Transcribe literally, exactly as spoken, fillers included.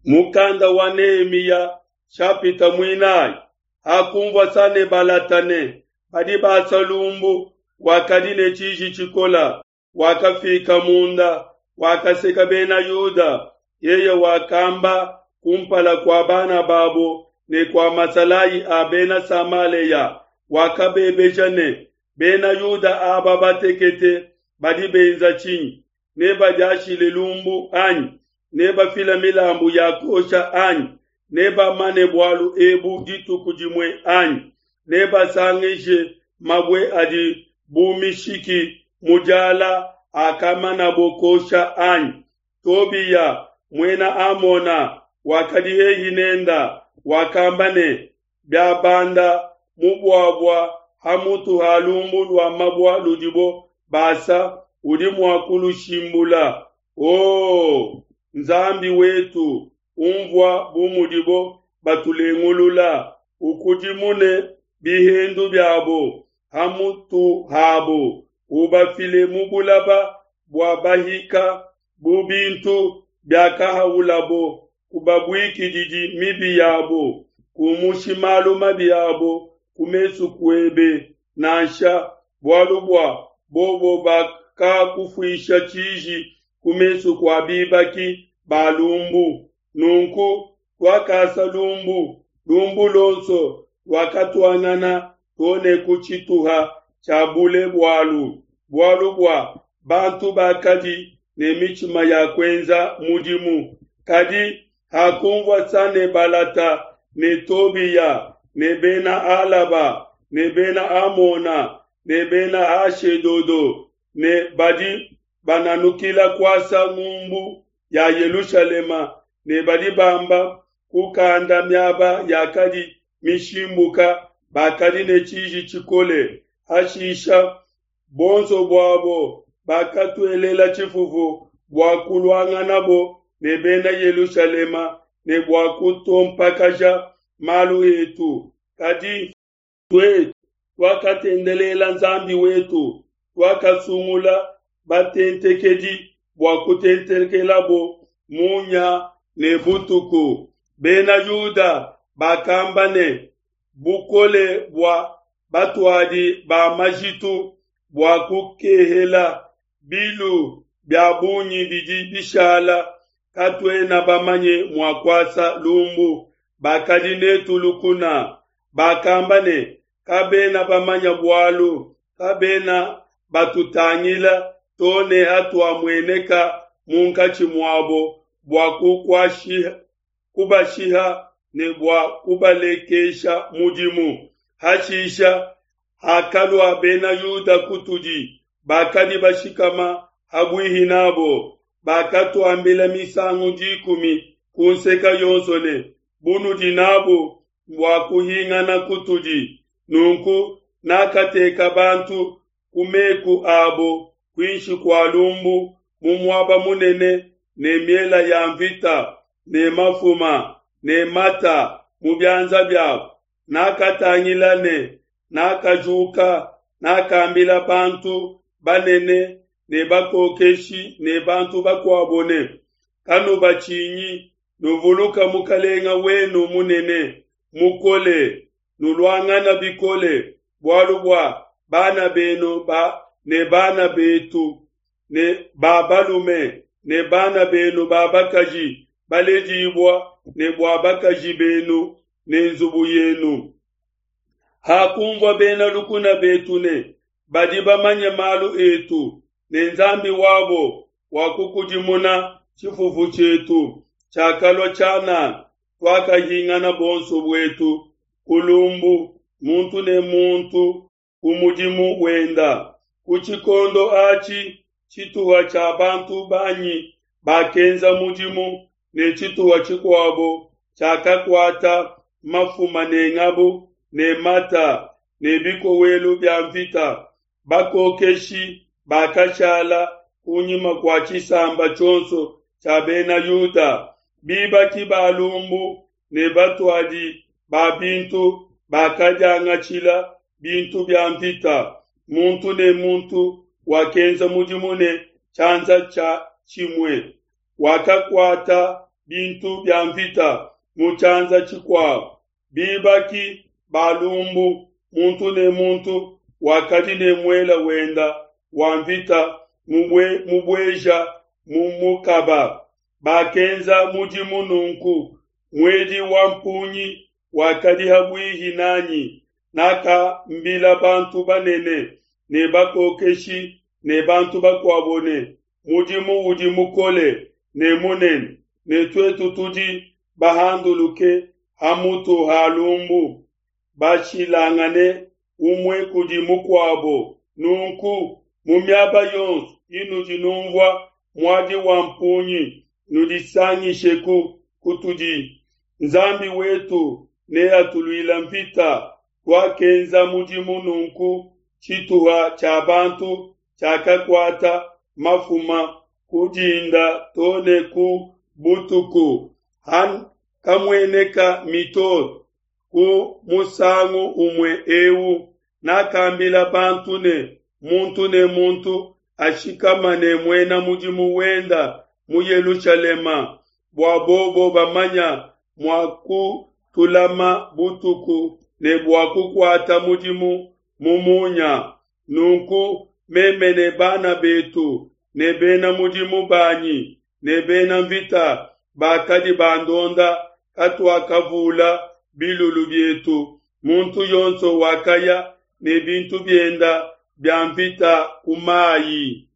Mukanda wa Nehemiya shapita muinayi. Hakunvua Sanebalata ne badi basa lumbu, wakadi ne tshiji tshikola, wakafika munda, wakaseka Bena Yuda. Yeye wakamba kumpala kua bana babo ne kua masalayi a Bena Samalea, wakabebeja ne, Bena Yuda aba batekete badi benza tshinyi? Nebadiashile lumbu anyi? Nebafile milambu ya kuosha anyi? Nebamane bualu ebu dituku dimue anyi? Nebasangishe mabue adi bu mishiki mu diala akamanabo kuosha anyi? Tobiya, muena Amona, wakadi hehi nenda, wakamba ne, Biabanda mubuabua ha mutu ha lumbu lua mabue ludibo basa, udi mua kulushimbula. O Nzambi wetu, unvua bu mudibo batulengulula, ukudimune bihendu biabo ha mutu habo, ubafile mu bulaba bua bahika bu bintu biakahaulabo. Kubabuikididi mibi yabo, kumushi malu mabi abo ku mesu kuebe nansha, bualu bua bobo bakakufuisha tshiji ku mesu kua bibaki ba lumbu. Nunku tuakasa lumbu, lumbu luonso luakatuangana to ne ku tshituha tshia bule bualu, bualu bua bantu bakadi ne mitshima ya kuenza mudimu. Kadi hakunvua Sanebalata ne Tobiya ne Bena Alaba ne Bena Amona ne Bena Ashedodo ne badi bananukila kuasa ngumbu ya Yelushalema ne badi bamba kukanda miaba yakadi mishimbuka, bakadi ne tshiji tshikole. Hashisha bonso buabo bakatuelela tshifufu bua kuluanganabo ne Bena Yelushalema ne bua kutompakaja malu etu. Kadi tuetu tuakatendelela Nzambi wetu, tuakasungula batentekedi bua kutentekelabo munya ne butuku. Bena Yuda bakamba ne, Bukole bua batuadi ba majitu bua kukehela, bilu bia bungi bidi bishala, katuena bamanye mua kuasa lumbu. Bakadi netu lukuna bakamba ne, Kabena bamanya bualu, kabena batutangila to ne hatuamueneka munkatshi muabo bua kubashiha ne bua kubalekesha mudimu. Hashisha hakalua Bena Yuda kutudi, bakadi bashikama ha buihi nabo, bakatuambila misangu dikumi ku nseke yonso ne, Bunudi nabu mbua kuhingana kutudi. Nunku nakateka bantu ku meku abo kuinshi kua lumbu mu muaba munene ne miela ya nvita ne mafuma ne mata mu bianza biabo. Nakatangila ne nakajuka, nakambila bantu banene ne bakokeshi ne bantu bakuabo ne, Kanubatshinyi, nuvuluka Mukalenga wenu munene mukole, nuluangana bikole bualu bua bana benu ba ne bana betu ne ba balume ne bana benu ba bakaji baledibua ne bua bakaji benu ne nzubu yenu. Hakunvua bena lukuna betu ne badi bamanye malu etu ne Nzambi wabo wakukudimuna tshifufu tshietu tshiakalua tshianana, tuakahingana bonso buetu ku lumbu, muntu ne muntu ku mudimu wenda. Ku tshikondo atshi tshituha tshia bantu banyi bakenza mudimu ne tshituha tshikuabo tshiakakuata mafuma ne ngabu ne mata ne bikowelu bia nvita. Bakokeshi bakashala kunyima kua tshisamba tshionso tshia Bena Yuda, bibaki ba lumbu ne batuadi ba bintu bakadiangatshila bintu bia nvita. Muntu ne muntu wakenza mudimu ne tshianza tshia tshimue, wakakuata bintu bia mvita mu tshianza tshikuabo. Bibaki ba lumbu, muntu ne muntu wakadi ne muele wenda wa mvita mubueja mu mukaba. Bakenza mudimu nunku, muedi wa mpungi wakadi ha buihi nanyi. Nakambila bantu banene ne bakokeshi ne bantu bakuabo ne, Mudimu udi mukole ne munene, ne tuetu tudi bahanduluke ha mutu ha lumbu, bashilangane umue kudi mukuabo. Nunku mu miaba yonso inudi nunvua muadi wa mpungi, nudisangisheku kutudi. Nzambi wetu neatuluile nvita. Tuakenza mudimu nunku, tshituha tshia bantu tshiakakuata mafuma ku dinda to ne ku butuku. Hakamueneka mitoto ku musangu umue eu, nakambila bantu ne, muntu ne muntu ashikamane muena mudimu wenda mu Yelushalema, bua bobo bamanya mua kutulama butuku ne bua kukuata mudimu mu munya. Nunku meme ne bana betu ne bena mudimu banyi ne bena mvita bakadi bandonda katuakavula bilulu bietu, muntu yonso wakaya ne bintu bienda bia mvita ku mai.